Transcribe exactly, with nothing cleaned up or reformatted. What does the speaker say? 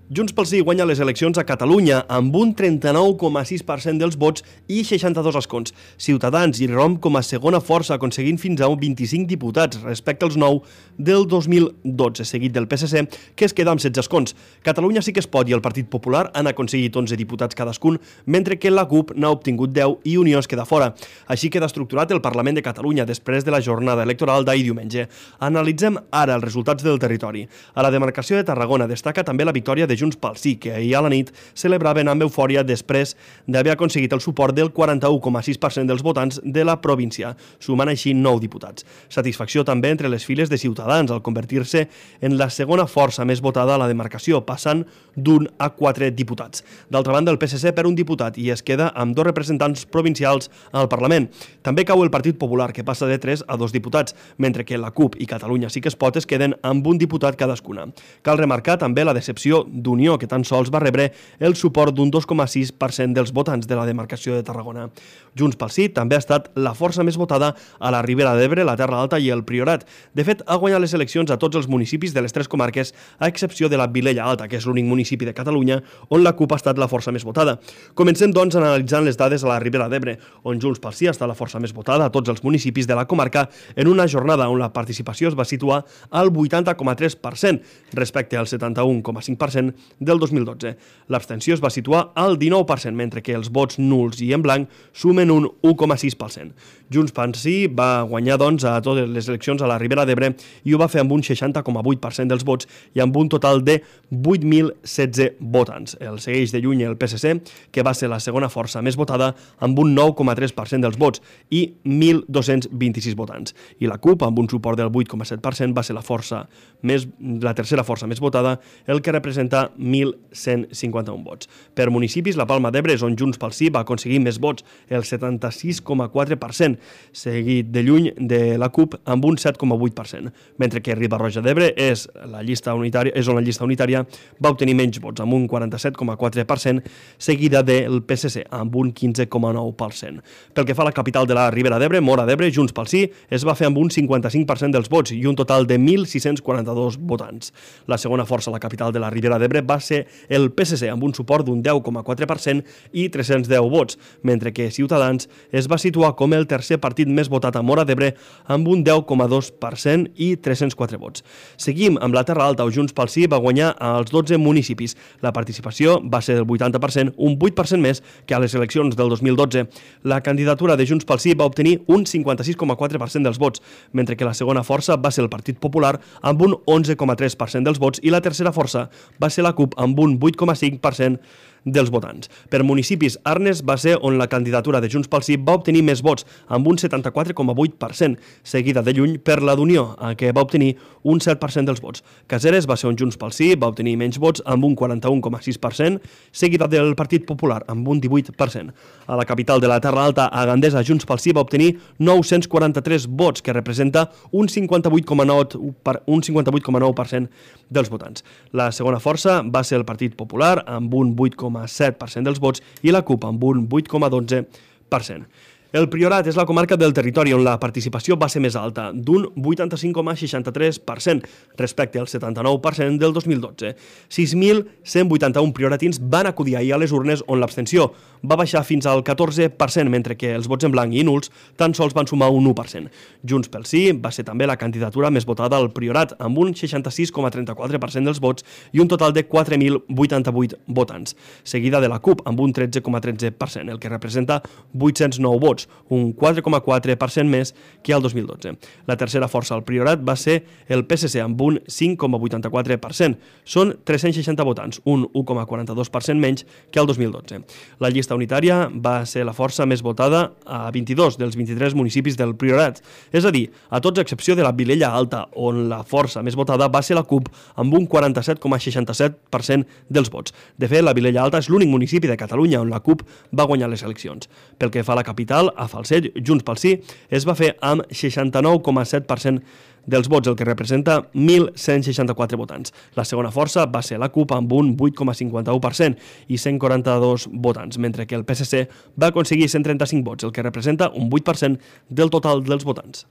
Junts pel Sí guanya les eleccions a Catalunya amb un trenta-nou coma sis per cent dels vots i seixanta-dos escons. Ciutadans i romp com a segona força, aconseguint fins a vint-i-cinc diputats respecte als nou del dos mil dotze, seguit del P S C, que es queda amb setze escons. Catalunya Sí que es pot i el Partit Popular han aconseguit onze diputats cadascun, mentre que la CUP n'ha obtingut deu i Unió es queda fora. Així queda estructurat el Parlament de Catalunya després de la jornada electoral d'ahir diumenge. Analitzem ara els resultats del territori. A la demarcació de Tarragona destaca també la victòria de Junts pel Sí, que ahir a la nit celebraven amb eufòria després d'haver aconseguit el suport del quaranta-u coma sis per cent dels votants de la província, sumant així nou diputats. Satisfacció també entre les files de Ciutadans al convertir-se en la segona força més votada a la demarcació, passant d'un a quatre diputats. D'altra banda, el P S C perd un diputat i es queda amb dos representants provincials al Parlament. També cau el Partit Popular, que passa de tres a dos diputats, mentre que la CUP i Catalunya Sí que es pot es queden amb un diputat cadascuna. Cal remarcar també la decepció d'Unió, que tan sols va rebre el suport d'un dos coma sis per cent dels votants de la demarcació de Tarragona. Junts pel Sí també ha estat la força més votada a la Ribera d'Ebre, la Terra Alta i el Priorat. De fet, ha guanyat les eleccions a tots els municipis de les tres comarques, a excepció de la Vilella Alta, que és l'únic municipi de Catalunya on la CUP ha estat la força més votada. Comencem, doncs, analitzant les dades a la Ribera d'Ebre, on Junts pel Sí ha estat la força més votada a tots els municipis de la comarca en una jornada on la participació es va situar al vuitanta coma tres per cent respecte al setanta-un coma cinc per cent del dos mil dotze. L'abstenció es va situar al dinou per cent, mentre que els vots nuls i en blanc sumen un u coma sis per cent. Junts pel Sí va guanyar, doncs, a totes les eleccions a la Ribera d'Ebre i ho va fer amb un seixanta coma vuit per cent dels vots i amb un total de vuit mil setze votants. El segueix de lluny el P S C, que va ser la segona força més votada amb un nou coma tres per cent dels vots i mil dos-cents vint-i-sis votants. I la CUP, amb un suport del vuit coma set per cent, va ser la força més, la tercera força més votada, el que representa mil cent cinquanta-un vots. Per municipis, la Palma d'Ebre és on Junts pel Sí va aconseguir més vots, el setanta-sis coma quatre per cent, seguit de lluny de la CUP amb un set coma vuit per cent, mentre que Riba-roja d'Ebre és la llista unitària, és on la llista unitària va obtenir menys vots, amb un quaranta-set coma quatre per cent, seguida del P S C, amb un quinze coma nou per cent. Pel que fa a la capital de la Ribera d'Ebre, Móra d'Ebre, Junts pel Sí es va fer amb un cinquanta-cinc per cent dels vots i un total de mil sis-cents quaranta-dos votants. La segona força a la capital de la Ribera d'Ebre va ser el P S C, amb un suport d'un deu coma quatre per cent i tres-cents deu vots, mentre que Ciutadans es va situar com el tercer partit més votat a Móra d'Ebre amb un deu coma dos per cent i tres-cents quatre vots. Seguim amb la Terra Alta, on Junts pel Sí va guanyar als dotze municipis. La participació va ser del vuitanta per cent, un vuit per cent més que a les eleccions del dos mil dotze. La candidatura de Junts pel Sí va obtenir un cinquanta-sis coma quatre per cent dels vots, mentre que la segona força va ser el Partit Popular amb un onze coma tres per cent dels vots i la tercera força va ser la CUP amb un vuit coma cinc per cent dels votants. Per municipis, Arnes va ser on la candidatura de Junts pel Sí va obtenir més vots, amb un setanta-quatre coma vuit per cent, seguida de lluny per la d'Unió, que va obtenir un set per cent dels vots. Caseres va ser on Junts pel Sí va obtenir menys vots, amb un quaranta-un coma sis per cent, seguida del Partit Popular, amb un divuit per cent. A la capital de la Terra Alta, a Gandesa, Junts pel Sí va obtenir nou-cents quaranta-tres vots, que representa un cinquanta-vuit coma nou per cent dels votants. La segona força va ser el Partit Popular, amb un vuit coma set per cent dels vots i la CUP amb un vuit coma dotze per cent. El Priorat és la comarca del territori on la participació va ser més alta, d'un vuitanta-cinc coma seixanta-tres per cent respecte al setanta-nou per cent del dos mil dotze. sis mil cent vuitanta-un prioratins van acudir ahir a les urnes on l'abstenció va baixar fins al catorze per cent, mentre que els vots en blanc i nuls tan sols van sumar un u per cent. Junts pel Sí va ser també la candidatura més votada al Priorat, amb un seixanta-sis coma trenta-quatre per cent dels vots i un total de quatre mil vuitanta-vuit votants, seguida de la CUP amb un tretze coma tretze per cent, el que representa vuit-cents nou vots, un quatre coma quatre per cent més que al dos mil dotze. La tercera força al Priorat va ser el P S C amb un cinc coma vuitanta-quatre per cent. Són tres-cents seixanta votants, un u coma quaranta-dos per cent menys que al dos mil dotze. La llista unitària va ser la força més votada a vint-i-dos dels vint-i-tres municipis del Priorat, és a dir, a tots a excepció de la Vilella Alta, on la força més votada va ser la CUP amb un quaranta-set coma seixanta-set per cent dels vots. De fet, la Vilella Alta és l'únic municipi de Catalunya on la CUP va guanyar les eleccions. Pel que fa a la capital, a Falset, Junts pel Sí es va fer amb seixanta-nou coma set per cent dels vots, el que representa mil cent seixanta-quatre votants. La segona força va ser la CUP amb un vuit coma cinquanta-u per cent i cent quaranta-dos votants, mentre que el P S C va aconseguir cent trenta-cinc vots, el que representa un vuit per cent del total dels votants.